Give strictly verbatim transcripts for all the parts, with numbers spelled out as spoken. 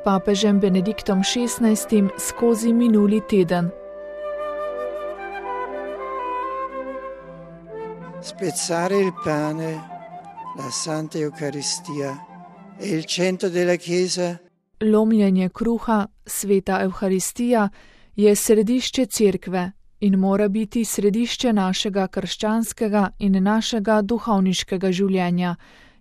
papežem Benediktom šestnajstim skozi minuli teden. Spezzare il pane, la Santa Eucaristia, è il centro della Chiesa. Lomljenje kruha, sveta Evharistija, je središče cerkve in mora biti središče našega krščanskega in našega duhovniškega življenja,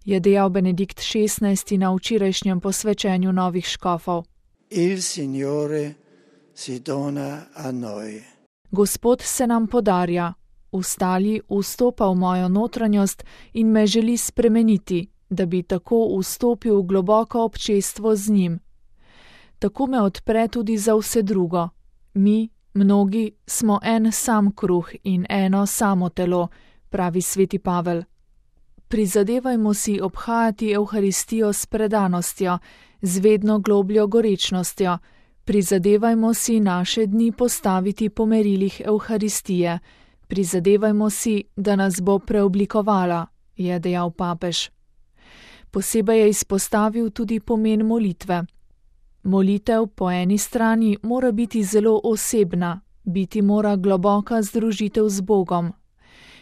je dejal Benedikt šestnajsti na včerajšnjem posvečenju novih škofov. Il Signore si dona a noi. Gospod se nam podarja, ustali vstopa v mojo notranjost in me želi spremeniti, da bi tako vstopil v globoko občestvo z njim. Tako me odpre tudi za vse drugo. Mi, mnogi, smo en sam kruh in eno samo telo, pravi sveti Pavel. Prizadevajmo si obhajati Evharistijo s predanostjo, z vedno globljo gorečnostjo. Prizadevajmo si naše dni postaviti po merilih Evharistije. Prizadevajmo si, da nas bo preoblikovala, je dejal papež. Posebej je izpostavil tudi pomen molitve. Molitev po eni strani mora biti zelo osebna, biti mora globoka združitev z Bogom.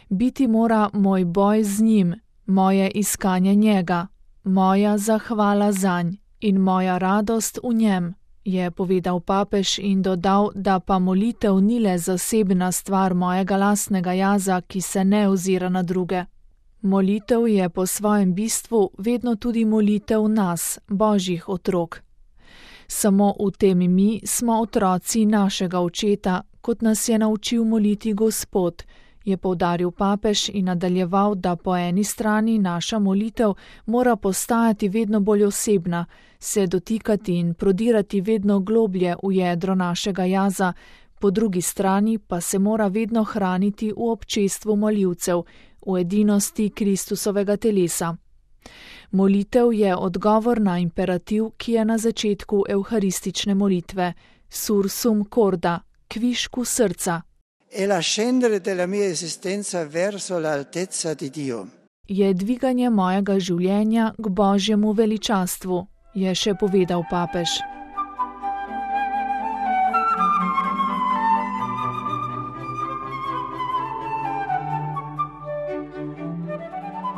Biti mora moj boj z njim, moje iskanje njega, moja zahvala zanj in moja radost v njem, je povedal papež in dodal, da pa molitev ni le zasebna stvar mojega lastnega jaza, ki se ne ozira na druge. Molitev je po svojem bistvu vedno tudi molitev nas, Božjih otrok. Samo v tem mi smo otroci našega očeta, kot nas je naučil moliti Gospod, je poudaril papež in nadaljeval, da po eni strani naša molitev mora postajati vedno bolj osebna, se dotikati in prodirati vedno globlje v jedro našega jaza, po drugi strani pa se mora vedno hraniti v občestvu moljivcev, v edinosti Kristusovega telesa. Molitev je odgovor na imperativ, ki je na začetku evharistične molitve, sursum corda, kvišku srca. È l'ascendere della mia esistenza verso l'altezza di Dio. Je dviganje mojega življenja k Božjemu veličastvu, je še povedal papež.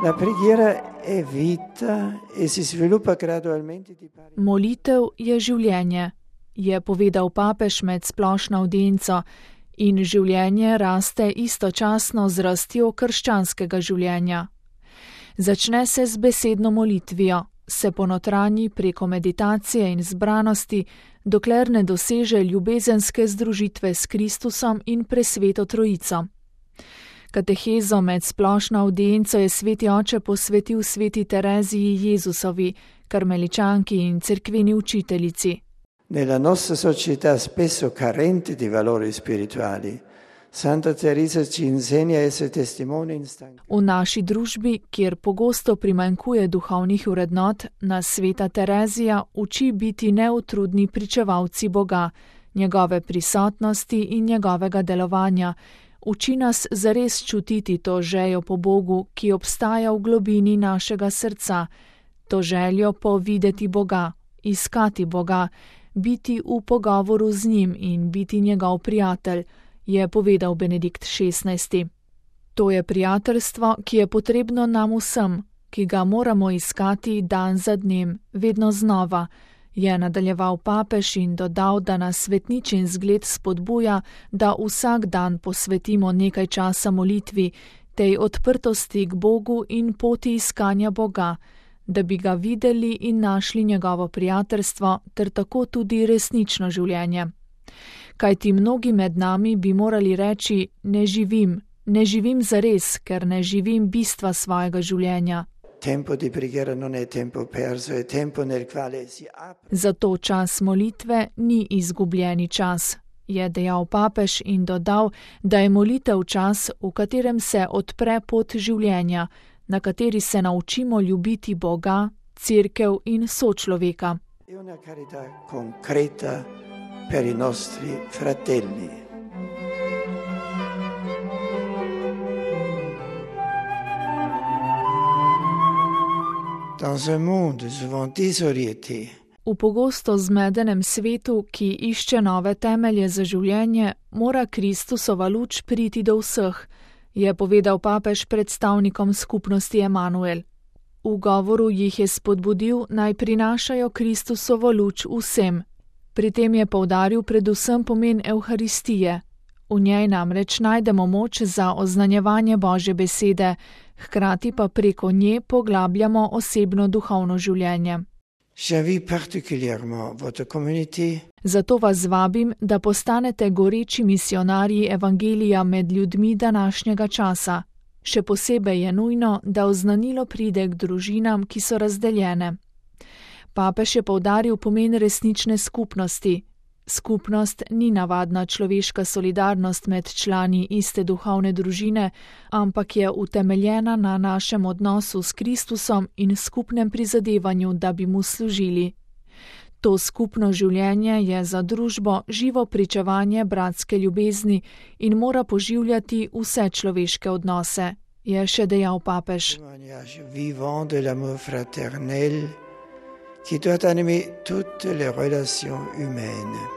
La preghiera è vita e si sviluppa gradualmente di pari. Molitev je življenje, je povedal papež med splošno avdienco, in življenje raste istočasno z rastjo krščanskega življenja. Začne se z besedno molitvijo, se ponotranji preko meditacije in zbranosti, dokler ne doseže ljubezenske združitve s Kristusom in presveto Trojico. Katehezo med splošno avdienco je sveti oče posvetil sveti Tereziji Jezusovi, karmeličanki in cerkveni učiteljici. Nella nostra società spesso carente di valori spirituali, Santa Teresa ci insegna a essere testimoni instancanei. V naši družbi, kjer pogosto primanjkuje duhovnih vrednot, nas sveta Terezija uči biti neutrudni pričevalci Boga, njegove prisotnosti in njegovega delovanja. Uči nas zares čutiti to željo po Bogu, ki obstaja v globini našega srca, to željo po videti Boga, iskati Boga, biti v pogovoru z njim in biti njegov prijatelj, je povedal Benedikt šestnajsti. To je prijateljstvo, ki je potrebno nam vsem, ki ga moramo iskati dan za dnem, vedno znova, je nadaljeval papež in dodal, da nas svetničin zgled spodbuja, da vsak dan posvetimo nekaj časa molitvi, tej odprtosti k Bogu in poti iskanja Boga, da bi ga videli in našli njegovo prijateljstvo ter tako tudi resnično življenje. Kajti mnogi med nami bi morali reči, ne živim, ne živim zares, ker ne živim bistva svojega življenja. Tempo di preghiera non è tempo perso, è tempo nel quale si apre. Zato čas molitve ni izgubljeni čas, je dejal papež in dodal, da je molitev čas, v katerem se odpre pot življenja, na kateri se naučimo ljubiti Boga, cerkev in sočloveka. È una carità concreta per i nostri fratelli. Dans un monde souvent désorienté, V pogosto zmedenem svetu, ki išče nove temelje za življenje, mora Kristusova luč priti do vseh, je povedal papež predstavnikom skupnosti Emanuel. V govoru jih je spodbudil, naj prinašajo Kristusovo luč vsem. Pri tem je poudaril predvsem pomen Evharistije. V njej namreč najdemo moč za oznanjevanje Božje besede, hkrati pa preko nje poglabljamo osebno duhovno življenje. Zato vas vabim, da postanete goreči misionarji evangelija med ljudmi današnjega časa. Še posebej je nujno, da oznanilo pride k družinam, ki so razdeljene. Papež je poudaril pomen resnične skupnosti. Skupnost ni navadna človeška solidarnost med člani iste duhovne družine, ampak je utemeljena na našem odnosu s Kristusom in skupnem prizadevanju, da bi mu služili. To skupno življenje je za družbo živo pričevanje bratske ljubezni in mora poživljati vse človeške odnose, je še dejal papež. Qui doit animer toutes les relations humaines.